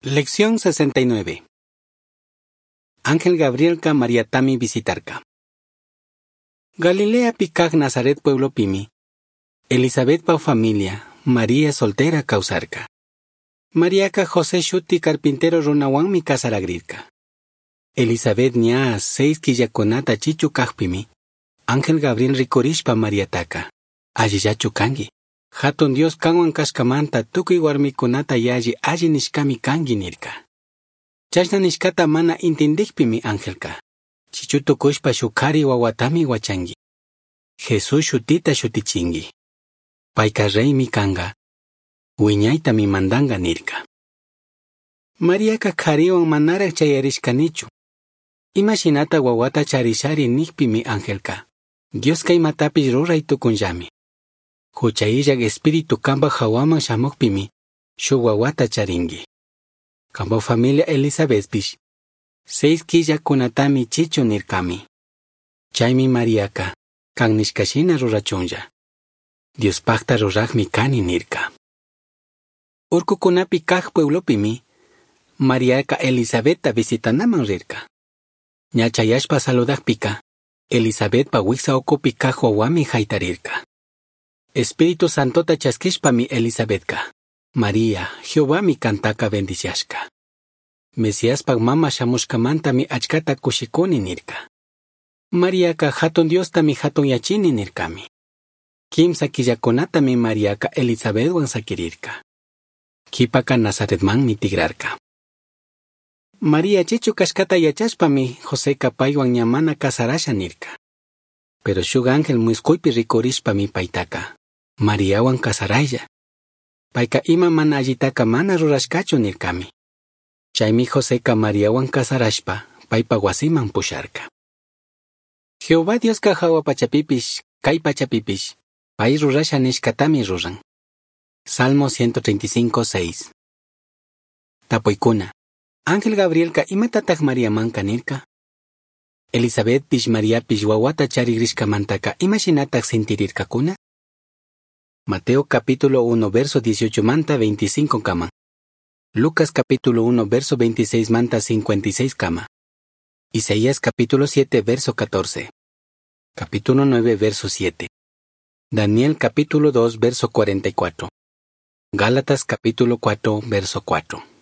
Lección 69. Ángel Gabrielca Mariatami visitarca. Galileapi kaj Nazaret pueblopimi, Elizabetpa familia, María soltera causarca. Mariaca José shuti carpintero runawanmi casaragrirca. Elizabeth ña 6 killakunata chichu kajpimi, Ángel Gabriel rikurishpa Mariataka, allillachu kanki. Hatun Dios kanwan kashkamanta tukuy warmikunata yalli alli nishkami kanki nirka. Chashna nishkata mana intindikpimi angelka, chichu tukushpa shuk kari wawatami wachanki. Jesús shutita shutichinki. Payka reymi kanka, wiñaytami mandanga nirka. Mariaka kariwan manaraj chayarishkanichu. Imashinata wawata charishari nikpimi angelka, Dioska imatapish ruray tukunllami. Jucha illak espíritu kanpak hawaman shamukpimi, shuk wawata charinki. Kanpak familia Elizabethpish, 6 killakunatami chichu nirkami. Chaymi Mariaka, kan nishkashina rurachunlla. Diospakta rurakmi kani nirka. Urkukunapi kaj pueblopimi, Mariaka Elizabethta visitanaman rirka. Ña chayashpa saludakpika, Elizabethpa wiksa ukupi kaj wawami haytarirka. Espíritu Santota chaskishpami Elizabethka, María, Jehovami kantaka bendiciashka. Mesiaspak mama shamushkamantami achkata kushikuni nirka. Mariaka hatun Diostami hatun yachini nirkami. 3 killakunatami Mariaka Elizabethwan sakirirka. Kipaka Nazaretmanmi tigrarka. María chichu kashkata yachashpami Joseka paywan ña mana casarasha nirka. Pero shuk ángel muskuypi rikurishpami paytaka, Mariawan casaraylla. Payka ima mana allitaka mana rurashkachu nirkami. Chaymi Joseka Mariawan casarashpa paypa wasiman pusharka. Jehová Dioska hawa pachapipish, kay pachapipish, pay rurasha nishkatami ruran. Salmo 135, 6. Tapuykuna. Ángel Gabrielka imatataq Mariamanka nirka? Elizabethpish Mariapish wawata charigrishkamantaka imashinataq sintirirkakuna? Mateo capítulo 1 verso 18 manta 25 kama. Lucas capítulo 1 verso 26 manta 56 kama. Isaías capítulo 7 verso 14. Capítulo 9 verso 7. Daniel capítulo 2 verso 44. Gálatas capítulo 4 verso 4.